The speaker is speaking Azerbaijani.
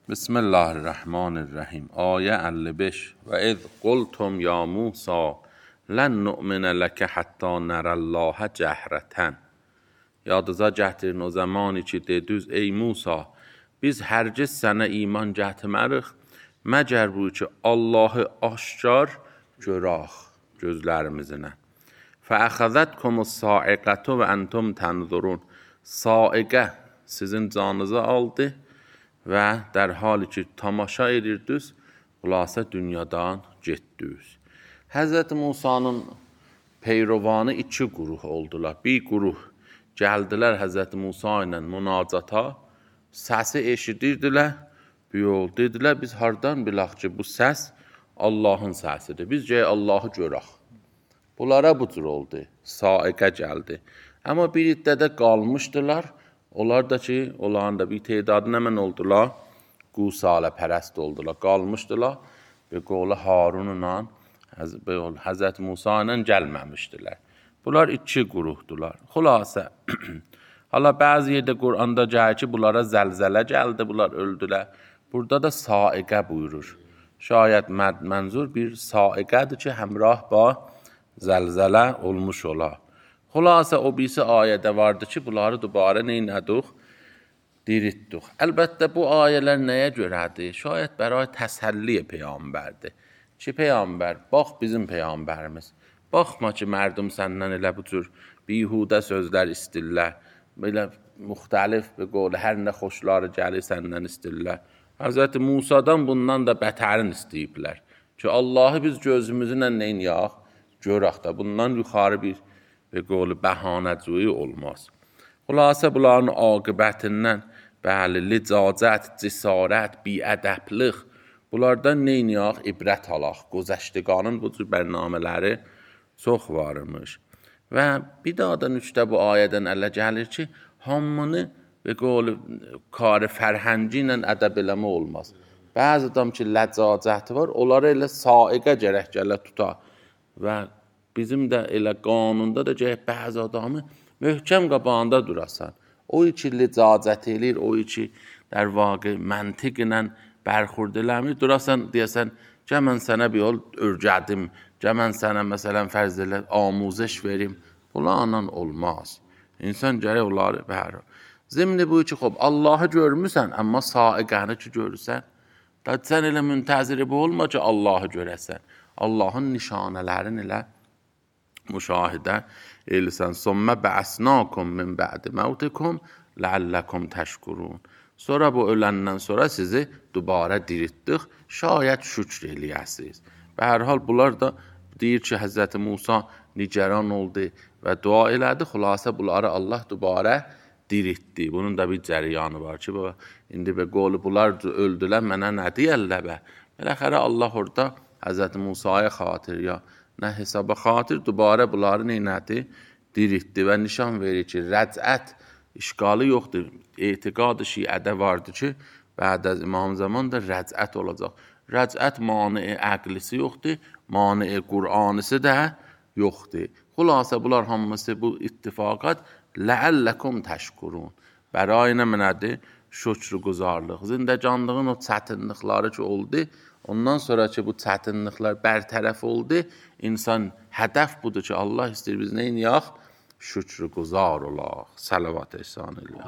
Bismillahirrahmanirrahim. Ayə 55. Və iz qultum ya Musa lən nu'minə ləkə hətta nərəllahə cəhrətən. Yadınıza gətirin o zamanı ki dediniz ey Musa, biz hərgiz sənə iman gətirmərik məgər bu ki Allahı aşkar görək gözlərimizlə. Fəəxəzətkumus sa'iqətu və entum tənzurun. Saiqə sizin canınızı aldı və در حالی ki tamaşa edirdiniz, xülasə dünyadan getdiniz. Həzrət Musanın peyrovanı iki quruh oldular. Bir quruh gəldilər Həzrət Musa ilə münacata, səsi eşidirdilər, bir yol dedilər, biz hardan bilək ki bu səs Allahın səsidir, biz gəl Allahı görək. Bunlara bu cür oldu, saiqə gəldi. Amma bir iddədə qalmışdılar, onlar da ki, onların da bir tedadı nəmən oldular, Qusalə pərəst oldular, qalmışdılar və qolu Harunla, Həzrət Musa ilə gəlməmişdilər. Bunlar iki quruhdular. Xülasə, hala bəzi yerdə Quranda gəlir ki, bunlara zəlzələ gəldi, bunlar öldülər. Burada da saiqə buyurur. Şayət mənzur bir saiqədir ki, həmrah ba zəlzələ olmuş olar. Xülasə o birisi ayədə vardı ki, bunları dubarə neynədik? Diritdik. Əlbəttə bu ayələr nəyə görədir? Şayət bəray təsəlli peyğəmbərdir. Ki peyğəmbər, bax bizim peyğəmbərimiz. Baxma ki mərdum səndən elə bu cür bihudə sözlər istirlər. Belə müxtəlif bir qol, hər nə xoşları gəlir səndən istirlər. Həzrət Musadan bundan da bətərin istəyiblər. Ki Allahı biz gözümüzlə neyniyək? Görək də bundan yuxarı bir qolu bəhanəcuyi olmaz. Xülasə bunların aqibətindən bəli, licacət, cəsarət, biədəblıq bunlardan neyniyək? İbrət alaq. Gözəştiqanın bu cür bərnamələri çox varmış. Və bir daha da nüçdə bu ayədən ələ gəlir ki, hamını və qolu kar fərhəngi ilə ədəb eləmə olmaz. Bəzi adam ki, ləcacəti var, onları elə saiqə gərək gələ tutar. Və bizim də elə qanunda da gərək bəzi adamı möhkəm qabağında durasan. O ki licacət eləyir, o ki در واقع məntiq ilə bərxurd eləmir, durasan deyəsən, gəl mən sənə bir yol örgədim, gəl mən sənə məsələn fərz elə amuzəş verim. Bunlarla olmaz. İnsan gərək onları bəhər. Zimni bu ki, xob, Allahı görmüsən, amma saiqəni ki görürsən, da sən elə müntəziri bu olma ki, Allahı görəsən. Allahın nişanələrini elə müşahidə eləsən. Sümmə bə'asnakum min bə'di məvtikum ləalləkum təşkurun. Sonra bu öləndən sonra sizi dubarə diritdik, şayət şükr eləyəsiniz. Və hər hal bunlar da deyir ki, Həzrət Musa nigaran oldu və dua elədi, xülasə bunları Allah dubarə diritdi. Bunun da bir cəriyanı var ki, indi və qolu bunlar öldülər, mənə nə deyərlər bə? Beləxərə Allah orada Həzrət Musaya xatir ya nə hesaba xatir dubarə bunları neynədi? Diritdi və nişan verir ki, rəcət işqalı yoxdur. Etiqad-ı şiədə vardır ki, bəd az İmam zaman da rəcət olacaq. Rəcət mani əqlisi yoxdur, mani Qur'anisi də yoxdur. Xülasə bunlar hamısı bu ittifaqat ləəlləkum təşkurun. Bəray nə mənədir? Şükr quzarlıq. Zindəcanlığın o çətinlikləri ki oldu, ondan sonra ki bu çətinliklər bərtərəf oldu, insan hədəf budur ki, Allah istəyir biz neyniyək? Şükr quzar olaq. Salavat ehsan eləyək.